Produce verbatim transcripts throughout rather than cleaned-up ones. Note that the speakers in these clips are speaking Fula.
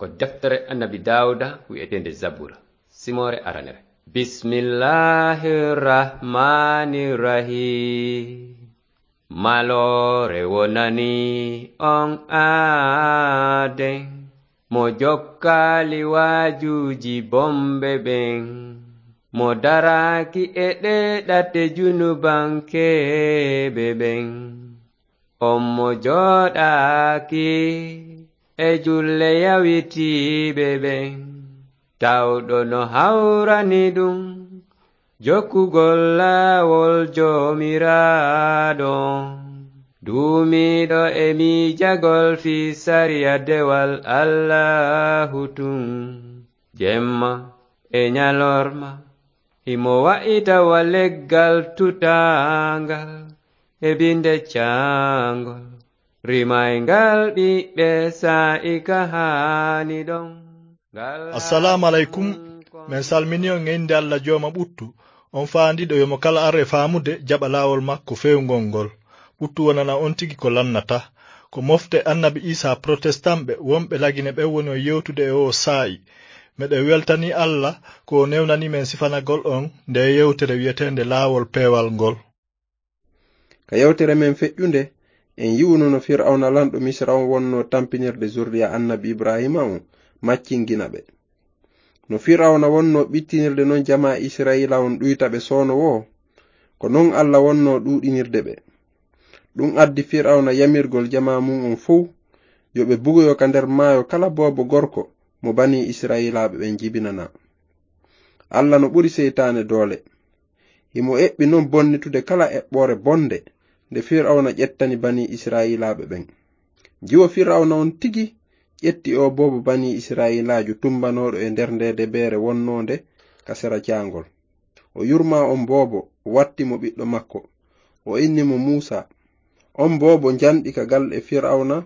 Ko deftere Annabi Daawuda wi'eteende Zabura, simoore aranere. Bismillahir Rahmanir Rahim. Maloore wonani on aaden, mo jokkaali waajuuji bomɓe ɓen, mo daraaki e ɗee ɗate junubankeeɓe ɓen. On mo jooɗaaki e julle yawitiiɓe ɓen, tawɗo no hawrani ɗum jokkugol laawol Joomiraaɗo, duumiiɗo e miijagol fii sariya dewal Allaahu tun, jemma e ñalorma. Himo wa'ita wa leggal tutaangal e binde caangol, rimayngal ɓiɓɓe saa'i ka haani ɗon. Ngal Assalaamu aleykum. Men salmini on e innde Alla Jooma ɓuttu, on faandiiɗo yo mo kala ar e faamude jaɓa laawol makko feewngol ngol. Ɓuttu wonana on tigi ko lannata. Ko mofte Annabi Iisaa Protestant ɓe wonɓe Lagine ɓen woni on yewtude e oo saa'i. Meɗen weltanii Alla ko o newnanii men sifanagol on ndee yewtere wi'eteende Laawol Peewal ngol. Ka yewtere men feƴƴunde, en yi'uno no Fir'awna lanɗo Misra on wonnoo tampinirde zurriya Annabi Ibraahiima on maccingina ɓe. No Fir'awna wonnoo ɓittinirde non jamaa Isra'iila on ɗuyta ɓe soono woo, ko non Alla wonnoo ɗuuɗinirde ɓe. Ɗum addi Fir'awna yamirgol jamaa mun on fow yo ɓe bugoyo ka nder maayo kala boobo gorko mo Banii Isra'iilaaɓe ɓen jibinanaa. Alla no ɓuri seytaane doole. Himo eɓɓi non bonnitude kala eɓɓoore bonnde nde Fir'awna ƴettani Banii Isra'iilaaɓe ɓen. Jiwo Fir'awna on tigi ƴetti oo boobo Banii Isra'iilaajo tumbanooɗo e nder ndee debeere wonnoonde ka sera caangol. O yurmaa on boobo, watti mo ɓiɗɗo makko. O inni mo Muusaa. On boobo njanɗi ka galle Fir'awna,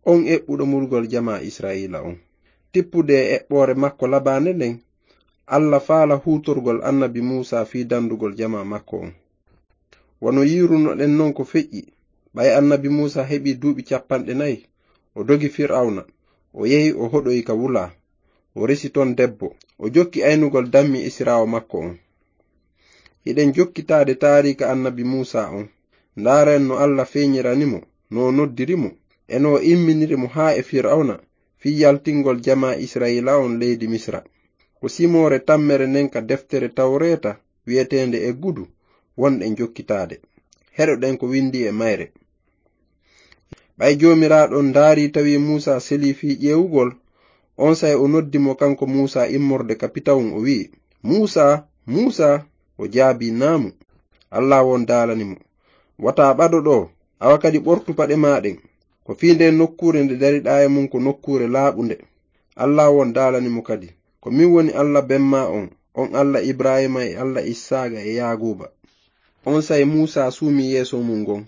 on eɓɓuɗo murgol jamaa Isra'iila on. Tippude e eɓɓoore makko labaande nden, Alla faala huutorgol Annabi Muusaa fii dandugol jamaa makko on. Wano yiirunoɗen non ko feƴƴi, ɓay Annabi Muusaa heɓii duuɓi cappanɗe nayi, o dogi Fir'awna, o yehi o hoɗoyi ka wulaa, o resi ton debbo, o jokki aynugol dammi esiraawo makko on. Hiɗen jokkitaade taariika Annabi Muusaa on, ndaaren no Alla feeñirani mo, no o noddiri mo, e no o imminiri mo haa e Fir'awna, fii yaltingol jamaa Isra'iila on leydi Misra. Ko simoore tammere nden ka deftere Tawreeta wi'eteende Eggudu wonɗen jokkitaade. Heɗoɗen ko windii e mayre. Ɓay Joomiraaɗo on ndaarii tawi Muusaa selii fii ƴeewugol, onsay o noddi mo kanko Muusaa immorde ka pitawun, o wi'i, "Muusaa, Muusaa!" O jaabii, "Naamu." Allaahu on daalani mo, "Wata ɓado ɗoo, awa kadi ɓortu paɗe maa ɗen. Ko fii ndee nokkuure nde dariɗaa e mun ko nokkuure laaɓunde." Allaahu on daalani mo kadi, "Ko min woni Alla ben maa on, on Alla Ibraahiima e Alla Issaaqa e Yaaquuba." Onsay Muusaa suumi yeeso mun ngon,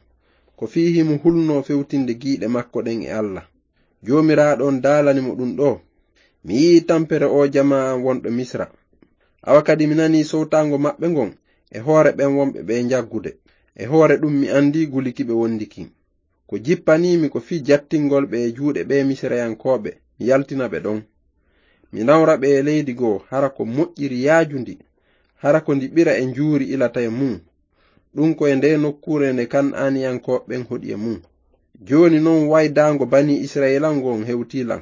ko fii himo hulnoo fewtinde giiɗe makko ɗen e Alla. Joomiraaɗo on daalani mo ɗun ɗoo, "Mi yi'ii tampere oo jamaa an wonɗo Misra. Awa kadi mi nanii sowtaango maɓɓe ngon e hoore ɓen wonɓe ɓe njaggude. E hoore ɗun mi andii guli ki ɓe wondi kin. Ko jippanii mi ko fii jattingol ɓe e juuɗe ɓee Misirayankooɓe, mi yaltina ɓe ɗon. Mi nawra ɓe e leydi goo, hara ko moƴƴiri yaajundi, hara ko ndi ɓira e njuuri ilata e mun. Ɗun ko e ndee nokkuure nde Kan'aaniyankooɓe ɓen hoɗi e mun. Jooni non waydaango Banii Isra'iila ngon hewtii lan.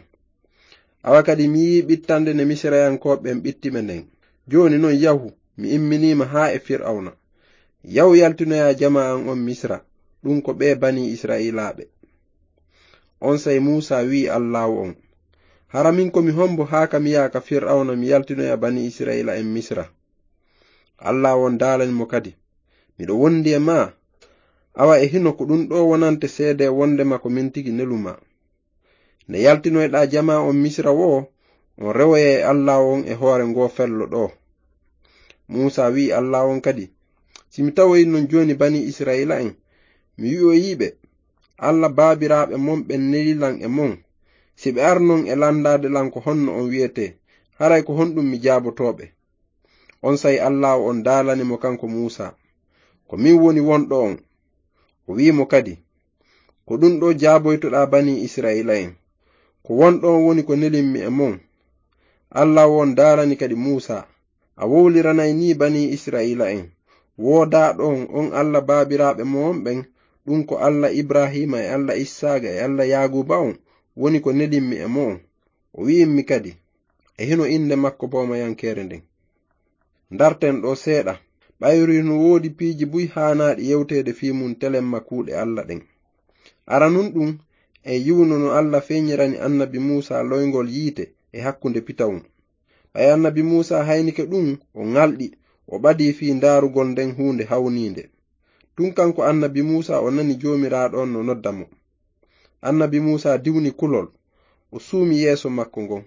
Awa kadi mi yi'ii ɓittannde nde Misirayankooɓe ɓen ɓitti ɓe nden. Jooni non yahu, mi imminii ma haa e Fir'awna. Yahu yaltinoyaa jamaa an on Misra, ɗun ko ɓee Banii Isra'iilaaɓe." Onsay Muusaa wi'i Allaahu on, "Hara min ko mi hombo haa ka mi yaha ka Fir'awna mi yaltinoya Banii Isra'iila en Misra?" Allaahu on daalani mo kadi, "Miɗo wondi e maa. Awa e hino ko ɗun ɗoo wonante seedee wondema ko min tigi nelu maa. Nde yaltinoyɗaa jamaa on Misra woo, on rewoyay Allaahu on e hoore ngoo fello ɗoo." Muusaa wi'i Allaahu on kadi, "Si mi tawoyi non jooni Banii Isra'iila en, mi wi'oyii ɓe, 'Alla baabiraaɓe mon ɓen neli lan e mon. Si ɓe arnon e landaade lan ko honno on wi'etee, haray ko honɗun mi jaabotoo ɓe?'" Onsay Allaahu on daalani mo kanko Muusaa, "Ko min woni wonɗo on." O wi'i mo kadi, "Ko ɗun ɗoo jaaboytoɗaa Banii Isra'iila en, Ko won ɗon woni ko nelimmi e mon. Alla on daalani kadi Muusaa, a wowliranay ni banii Isra'iila'en, woodaaɗo on, on Alla baabiraaɓe mo'on ɓen, ɗun ko Alla Ibraahiima e Alla Issaaqa e Alla Yaaquuba on, woni ko nelimmi e mo'on. O wi'immi kadi, e hino innde makko boomayankeere nden. Ndarten ɗoo seeɗa, ɓayru hino woodi piiji buy haanaaɗi yewteede fii mun telemma kuuɗe Alla ɗen. Aranun ɗun, en yi'uno no Alla feeñirani annabi Muusaa loyngol yiite e hakkunde pitawun. Ɓay annabi Muusaa haynike ɗun, o ŋalɗi, o ɓadii fii ndaarugol nden huunde hawniinde. Tun kanko annabi Muusaa o nani Joomiraaɗo on no nodda mo. Annabi Muusaa diwni kulol, o suumi yeeso makko ngon.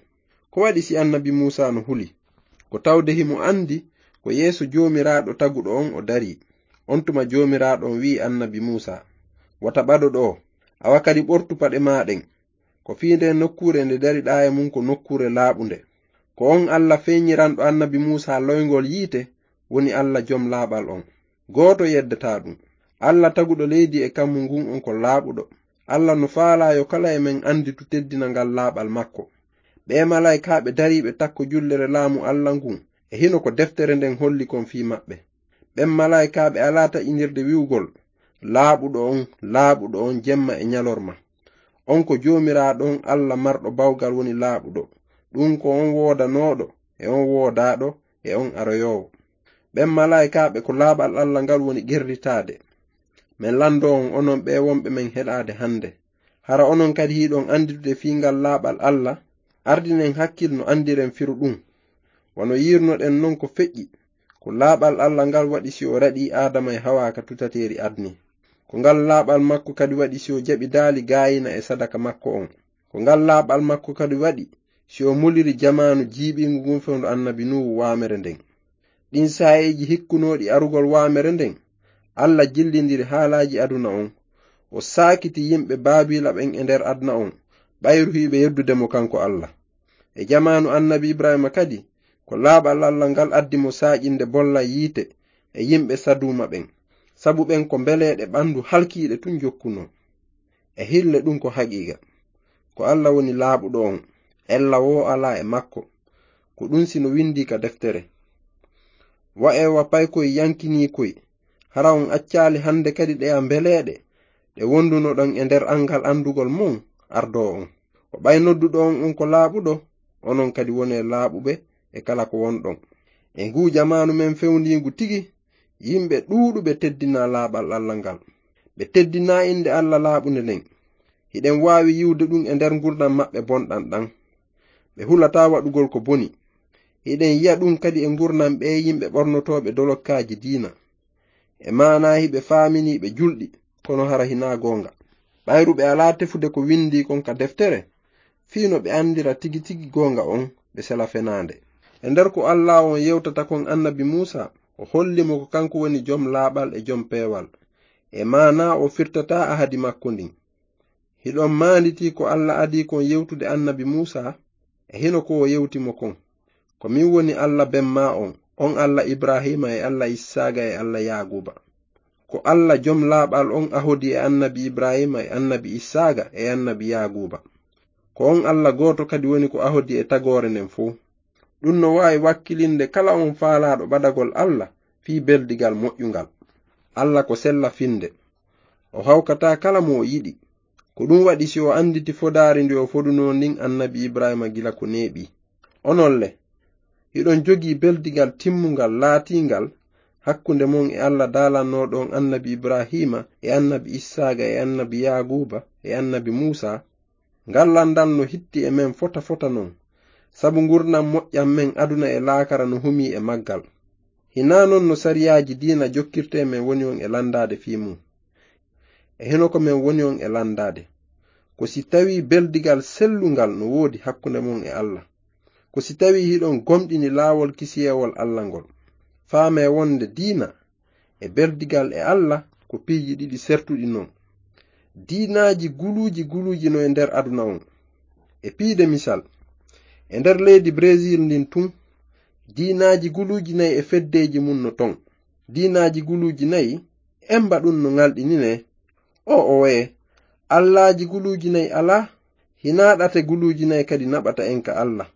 Ko waɗi si annabi Muusaa no huli? Ko tawde himo andi ko yeeso Joomiraaɗo taguɗo on o darii. On tuma Joomiraaɗo on wi'i annabi Muusaa, wota ɓado ɗoo, awa kadi ɓortu paɗe maa ɗen. Ko fii nden nokkuure nde dariɗaa e mun ko nokkuure laaɓunde. Ko on Alla feeñiranɗo annabi Muusaa loyngol yiite woni Alla jom laaɓal on. Gooto yeddataa ɗun. Alla taguɗo leydi e kammu ngun on ko laaɓuɗo. Alla no faalaa yo kala e men anditu teddinangal laaɓal makko. Ɓee malaa'ikaaɓe dariiɓe takko jullere laamu Alla ngun, e hino ko deftere nden holli kon fii maɓɓe. Ɓen malaa'ikaaɓe alaa taƴindirde wi'ugol, laaɓuɗo on, laaɓuɗo on jemma e ɲalorma. On ko Joomiraaɗo on Alla marɗo bawgal woni laaɓuɗo. Ɗun ko on woodanooɗo, e on woodaaɗo, e on aroyoowo. Ɓen malaa'ikaaɓe ko laaɓal Alla ngal woni qerritaade. Men lanndoo on, onon ɓee wonɓe men heɗaade hannde. Hara onon kadi hiɗon annditude fii ngal laaɓal Alla? Ardinen hakkil no anndiren firu ɗun. Wano yi'irnoɗen non ko feƴƴi, ko laaɓal Alla ngal waɗi si o raɗii Aadama e Hawaa ka tutateeri adni. Ko ngal laaɓal makko kadi waɗi si o jaɓi daali gaayina e sadaka makko on. Ko ngal laaɓal makko kadi waɗi si o muliri jamaanu jiiɓiingu ngun fewndo annabi Nuuhu waamere nden. Ɗin saa'iiji hikkunooɗi arugol waamere nden, Alla jillindiri haalaaji aduna on. O saakiti yimɓe Baabiila ɓen e nder aduna on, ɓayru hiɓe yeddude mo kanko Alla. E jamaanu annabi Ibraahiima kadi, ko laaɓal Alla ngal addi mo saaƴinde bolla yiite e yimɓe Saduuma ɓen, sabu ɓen ko mbeleeɗe ɓandu halkiiɗe tun jokkunoo. E hille ɗun ko haqiiqa. Ko Alla woni laaɓuɗo on, ella woo alaa e makko. Ko ɗun si no windii ka deftere. Wa'ee wa paykoy yankinii koy, hara on accaali hannde kadi ɗeya mbeleeɗe, ɗe wondunoɗon e nder anngal anndugol mon ardoo on. Ko ɓay nodduɗo on, on ko laaɓuɗo, onon kadi wonee laaɓuɓe e kala ko wonɗon. E nguu jamaanu men fewndiingu tigi, yimɓe ɗuuɗuɓe teddinaa laaɓal Alla ngal. Ɓe teddinaa innde Alla laaɓunde nden. Hiɗen waawi yi'ude ɗun e nder ngurndan maɓɓe bonɗan ɗan. Ɓe hulataa waɗugol ko boni. Hiɗen yi'a ɗun kadi e ngurndan ɓee yimɓe ɓornotooɓe dolokkaaji diina. E maanaa hiɓe faaminii ɓe julɗi, kono hara hinaa goonga. Ɓayru ɓe alaa tefude ko windii kon ka deftere, fii no ɓe anndira tigi tigi goonga on, ɓe sela fenaande. E nder ko Alla on yewtata kon annabi Muusaa, o holli mo ko kanko woni jom laaɓal e jom peewal. E maanaa o firtataa ahadi makko ndin. Hiɗon maanditii ko Alla adii kon yewtude annabi Muusaa? E hino ko o yewti mo kon. Ko min woni Alla ben maa on, on Alla Ibraahiima e Alla Issaaqa e Alla Yaaquuba. Ko Alla jom laaɓal on ahodi e annabi Ibraahiima e annabi Issaaqa e annabi Yaaquuba. Ko on Alla gooto kadi woni ko ahodi e tagoore nden fow. Ɗun no waawi wakkilinde kala on faalaaɗo ɓadagol Alla fii beldigal moƴƴungal. Alla ko sella finde. O hawkataa kala mo o yiɗi. Ko ɗun waɗi si o annditi fodaari ndi o fodunoo ndin annabi Ibraahiima gila ko neeɓi. Onon le, hiɗon jogii beldigal timmungal laatiingal hakkunde mon e Alla daalannooɗo on annabi Ibraahiima e annabi Issaaqa e annabi Yaaquuba e annabi Muusaa? Ngal lanndal no hitti e men fota fota non, sabu ngurndan moƴƴan men aduna e laakara no humii e maggal. Hinaa non no sariyaaji diina jokkirtee men woni on e lanndaade fii mun. E hino ko men woni on e lanndaade. Ko si tawii beldigal sellungal no woodi hakkunde mon e Alla. Ko si tawii hiɗon gomɗini laawol kisiyeewol Alla ngol. Faamee wonde diina e beldigal e Alla ko piiji ɗiɗi sertuɗi non. Diinaaji guluuji guluuji no e nder aduna on. E piide misal, e nder leydi Brésil ndin tun, diinaaji guluuji nayi e feddeeji mun no ton. Diinaaji guluuji nayi, emba ɗun no ŋalɗininee. O oye, allaaji guluuji nayi alaa, Hinaa ɗate guluuji nayi kadi naɓata en ka Alla.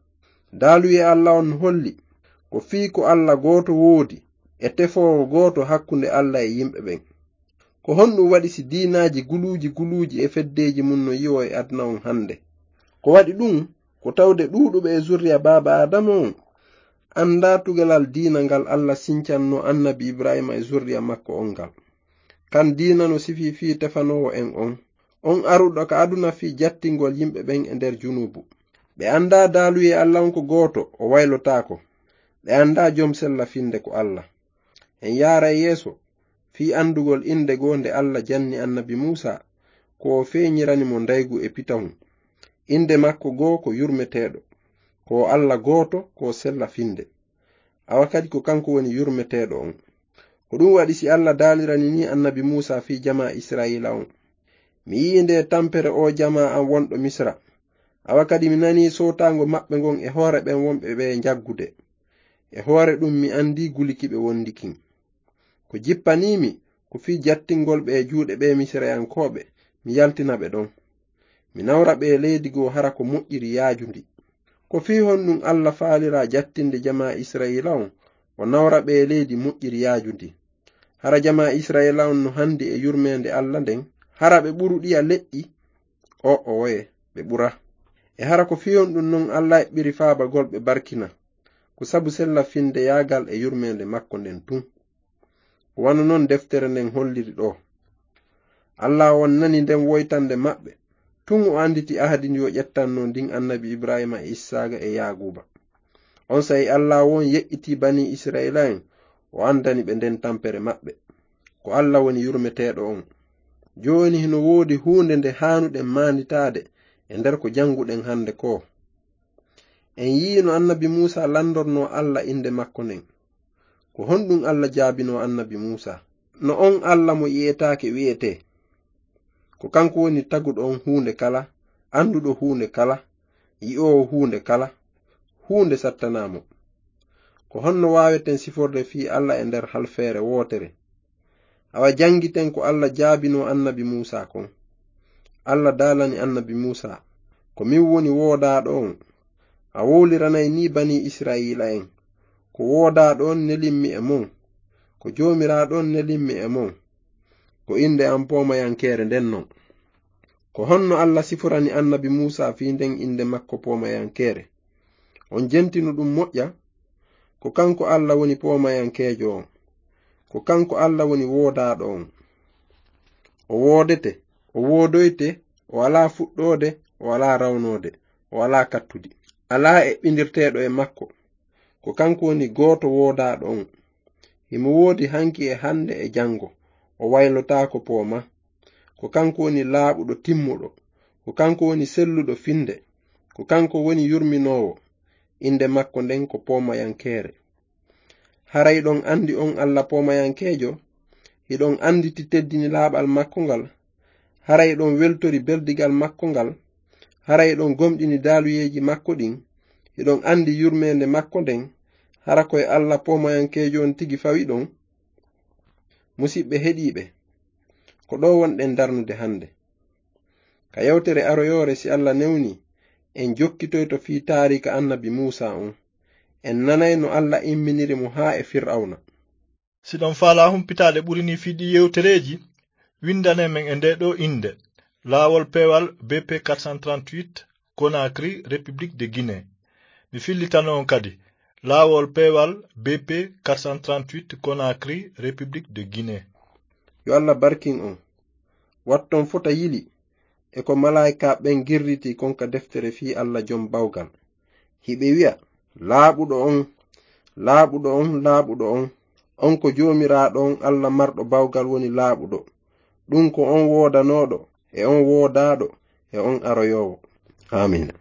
Daaluyee Alla on no holli ko fii ko Alla gooto woodi e tefoowo gooto hakkunde Alla e yimɓe ɓen. Ko honɗum waɗi si diinaaji guluuji guluuji e feddeeji mun no yi'oo e aduna on hannde? Ko waɗi ɗum, ko tawde ɗuuɗuɓe e zurriya baaba Aadama on anndaa tugalal diina ngal Alla sincannoo annabi Ibraahiima e zurriya makko on ngal. Kan diina no sifii fii tefanoowo en on, on aruɗo ka aduna fii jattingol yimɓe ɓen e nder junuubu. Ɓe anndaa daaluyee Alla on ko gooto, o waylotaako. Ɓe anndaa jom sella finde ko Alla. En yaara e yeeso fii anndugol innde goo nde Alla janni annabi Muusa, ko o feeñirani mo ndaygu e pitahun. Innde makko goo ko yurmeteeɗo, ko o Alla gooto, ko o sella finde. Awa kadi ko kanko woni yurmeteeɗo on. Ko ɗum waɗi si Alla daalirani ni annabi Muusa fii jamaa Israa'iila on. Mi yi'i nde tampere oo jamaa an wonɗo Misra. Awa kadi mi nanii sootaango maɓɓe ngon e hoore ɓen wonɓe ɓe njaggude. E hoore ɗum mi anndii guli ki ɓe wondi kin. Ko jippanii mi, ko fii jattingol ɓe e juuɗe ɓee Misirayankooɓe, mi yaltina ɓe ɗon. Mi nawra ɓe e leydi goo hara ko moƴƴiri yaajundi. Ko fii honɗum Alla faaliraa jattinde jamaa Israa'iila on, o nawra ɓe e leydi moƴƴiri yaajundi? Hara jamaa Israa'iila on no hanndi e yurmeende Alla nden, hara ɓe ɓuruɗiya leƴƴi? O'owoye, ɓe ɓura. E hara ko fii honɗum non Alla eɓɓiri faabagol ɓe barkina? Ko sabu sella findeyaagal e yurmeende makko nden tun. Ko wano non deftere nden holliri ɗoo. Alla on nani nden woytande maɓɓe, tun o annditi ahadi ndi o ƴettanno ndin annabi Ibraahiima e Issaaqa e Yaaquuba. Onsay Alla on yeƴƴitii banii Israa'iila'en, o anndani ɓe nden tampere maɓɓe. Ko Alla woni yurmeteeɗo on. Jooni hino woodi huunde nde haanuɗen maanditaade e nder ko jannguɗen hannde koo. En yi'ii no annabi Muusa lanndornoo Alla innde makko nden. Ko honɗum Alla jaabinoo annabi Muusa? No on Alla mo yi'etaake wi'etee? Ko kanko woni taguɗo on huunde kala, annduɗo huunde kala, yi'oowo huunde kala, huunde sattanaa mo. Ko honno waaweten siforde fii Alla e nder halfeere wootere? Awa janngiten ko Alla jaabinoo annabi Muusa kon. Alla daalani annabi Muusa, ko min woni woodaaɗo on. A wowliranay nii banii Israa'iila'en, ko woodaaɗo on nelimmi e mon, ko Joomiraaɗo on nelimmi e mon. Ko innde an poomayankeere nden non. Ko honno Alla siforani annabi Muusa fii nden innde makko poomayankeere? On jentino ɗum moƴƴa? Ko kanko Alla woni poomayankeejo on. Ko kanko Alla woni woodaaɗo on. O woodete, o woodoyte, o alaa fuɗɗoode, o alaa rawnoode, o alaa kattudi. Alaa eɓɓindirteeɗo e makko. Ko kanko woni gooto woodaaɗo on. Himo woodi hanki e hannde e janngo. O waylotaako pooma. Ko kanko woni laaɓuɗo timmuɗo. Ko kanko woni selluɗo finde. Ko kanko woni yurminoowo. Innde makko nden ko poomayankeere. Hara hiɗon anndi on Alla poomayankeejo? Hiɗon annditi teddini laaɓal makko ngal? Hara hiɗon weltori beldigal makko ngal? Hara hiɗon gomɗini daaluyeeji makko ɗin? Hiɗon anndi yurmeende makko nden? Hara ko e Alla poomayankeejo on tigi fawiɗon? Musiɓɓe heɗiiɓe, ko ɗoo wonɗen darnude hannde. Ka yewtere aroyoore, si Alla newni, en jokkitoyto fii taariika annabi Muusa on. En nanay no Alla imminiri mo haa e Fir'awna. Si ɗon faalaa humpitaade ɓuri nii fii ɗii yewtereeji, winndane men e ndee ɗoo innde, Laawol Peewal B P quatre cent trente-huit, Conakry, République de Guinée. Mi fillitano on kadi, Laawol Peewal B P quatre cent trente-huit, Conakry, République de Guinée. Yo Alla barkin on. Watton fota yili e ko malaa'ika ɓen girriti kon ka deftere fii Alla Jom Bawgal. Hiɓe wi'a, "Laaɓuɗo on, laaɓuɗo on, laaɓuɗo on, on ko Joomiraaɗo on, Alla Marɗo Bawgal woni laaɓuɗo. Ɗum ko on woodanooɗo, e on woodaaɗo, e on aroyoowo." Aamiin.